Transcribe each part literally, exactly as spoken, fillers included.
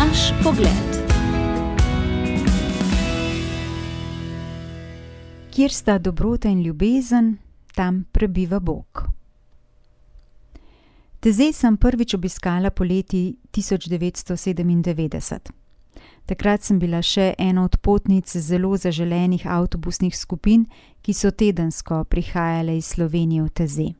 Naš pogled. Kjer sta dobrota in ljubezen, tam prebiva Bog. Tezej sem prvič obiskala poleti tisoč devetsto sedemindevetdeset. Takrat sem bila še ena od potnic zelo zaželenih avtobusnih skupin, ki so tedensko prihajale iz Slovenije v Tezej.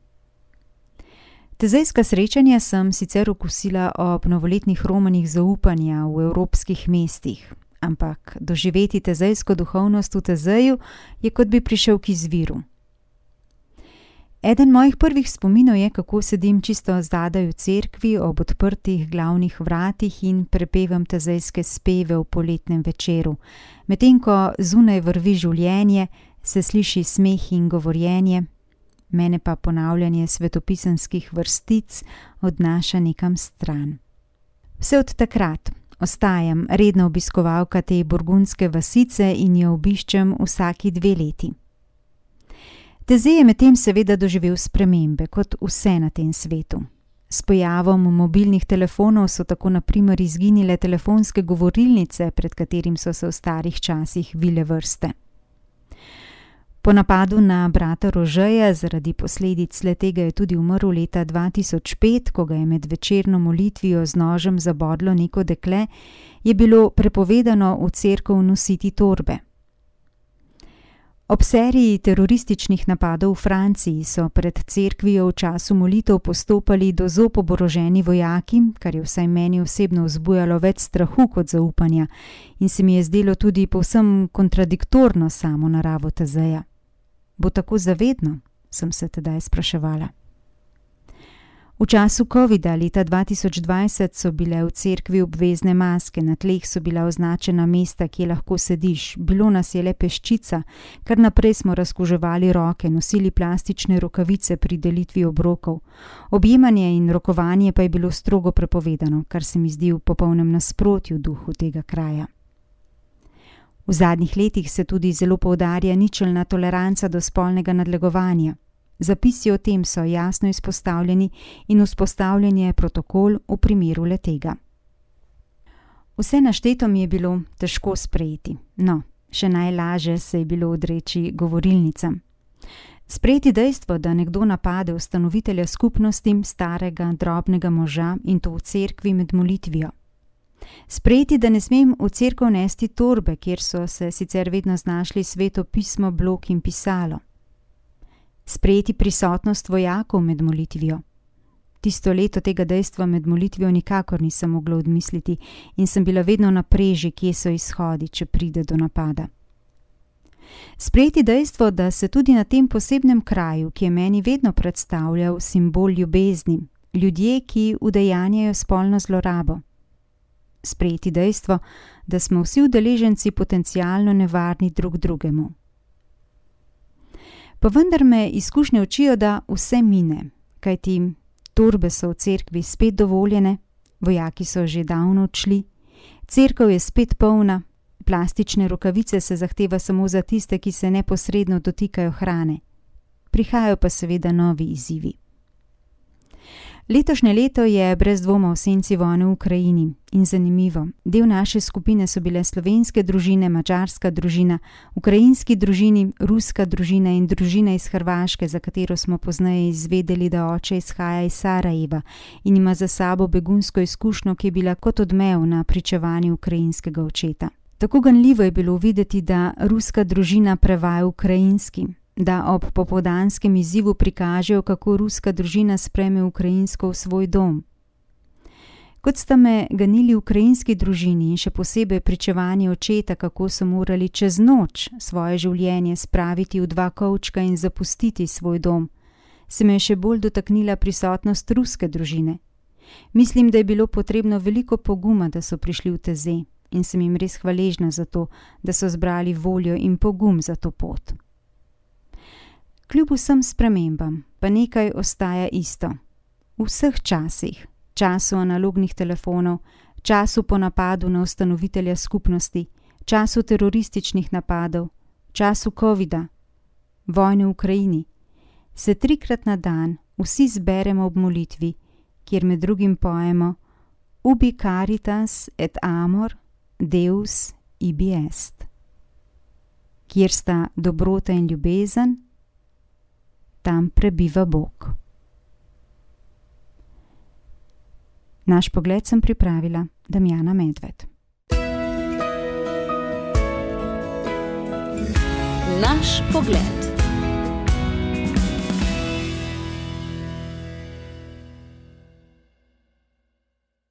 Tezejska srečanja sem sicer okusila ob novoletnih romanih zaupanja v evropskih mestih, ampak doživeti tezejsko duhovnost v Tezeju je, kot bi prišel k izviru. Eden mojih prvih spominov je, kako sedim čisto zadaj v cerkvi ob odprtih glavnih vratih in prepevam tezejske speve v poletnem večeru. Medtem ko zunaj vrvi življenje, se sliši smeh in govorjenje, mene pa ponavljanje svetopisanskih vrstic odnaša nekam stran. Vse od takrat ostajam redna obiskovalka te burgundske vasice in jo obiščem vsaki dve leti. Tezej je medtem seveda doživel spremembe, kot vse na tem svetu. S pojavom mobilnih telefonov so tako na primer izginile telefonske govorilnice, pred katerim so se v starih časih vile vrste. Po napadu na brata Rožeja zaradi posledic le-tega je tudi umrl leta dva tisoč pet, ko ga je med večerno molitvijo z nožem zabodlo neko dekle, je bilo prepovedano v cerkev nositi torbe. Ob seriji terorističnih napadov v Franciji so pred cerkvijo v času molitev postopali do zob oboroženi vojaki, kar je vsaj meni osebno vzbujalo več strahu kot zaupanja in se mi je zdelo tudi povsem kontradiktorno samo naravo Tezeja. Bo tako zavedno, sem se tedaj spraševala. V času covida leta dva tisoč dvajset so bile v cerkvi obvezne maske, na tleh so bila označena mesta, kje lahko sediš, bilo nas je le peščica, kar naprej smo razkuževali roke, nosili plastične rokavice pri delitvi obrokov. Objemanje in rokovanje pa je bilo strogo prepovedano, kar se mi zdi v popolnem nasprotju duhu tega kraja. V zadnjih letih se tudi zelo poudarja ničelna toleranca do spolnega nadlegovanja. Zapisi o tem so jasno izpostavljeni in vzpostavljen je protokol v primeru le-tega. Vse našteto mi je bilo težko sprejeti, no, še najlaže se je bilo odreči govorilnicam. Sprejeti dejstvo, da nekdo napade ustanovitelja skupnosti, starega, drobnega moža in to v cerkvi med molitvijo. Sprejeti, da ne smem v cerkev nesti torbe, kjer so se sicer vedno znašli sveto pismo, blok in pisalo. Sprejeti prisotnost vojakov med molitvijo. Tisto leto tega dejstva med molitvijo nikakor nisem mogla odmisliti in sem bila vedno na preži, kje so izhodi, če pride do napada. Sprejeti dejstvo, da se tudi na tem posebnem kraju, ki je meni vedno predstavljal simbol ljubezni, ljudje, ki udejanjajo spolno zlorabo. Sprejeti dejstvo, da smo vsi udeleženci potencialno nevarni drug drugemu. Pa vendar me izkušnje učijo, da vse mine, kajti torbe so v cerkvi spet dovoljene, vojaki so že davno odšli, cerkev je spet polna, plastične rokavice se zahteva samo za tiste, ki se neposredno dotikajo hrane. Prihajajo pa seveda novi izzivi. Letošnje leto je brez dvoma v senci vojne v Ukrajini in zanimivo. Del naše skupine so bile slovenske družine, madžarska družina, ukrajinski družini, ruska družina in družina iz Hrvaške, za katero smo pozneje izvedeli, da oče izhaja iz Sarajeva in ima za sabo begunsko izkušnjo, ki je bila kot odmev na pričevanju ukrajinskega očeta. Tako ganljivo je bilo videti, da ruska družina prevaja ukrajinski, da ob popoldanskem izzivu prikažejo, kako ruska družina sprejme ukrajinsko v svoj dom. Kot sta me ganili ukrajinski družini in še posebej pričevanje očeta, kako so morali čez noč svoje življenje spraviti v dva kovčka in zapustiti svoj dom, se me je še bolj dotaknila prisotnost ruske družine. Mislim, da je bilo potrebno veliko poguma, da so prišli v Tezej in sem jim res hvaležna za to, da so zbrali voljo in pogum za to pot. Kljub vsem spremembam, pa nekaj ostaja isto. V vseh časih, času analognih telefonov, času po napadu na ustanovitelja skupnosti, času terorističnih napadov, času covida, vojne v Ukrajini, se trikrat na dan vsi zberemo ob molitvi, kjer med drugim pojemo: ubi caritas et amor Deus ibi est. Kjer sta dobrota in ljubezen, tam prebiva Bog. Naš pogled sem pripravila Damjana Medved. Naš pogled.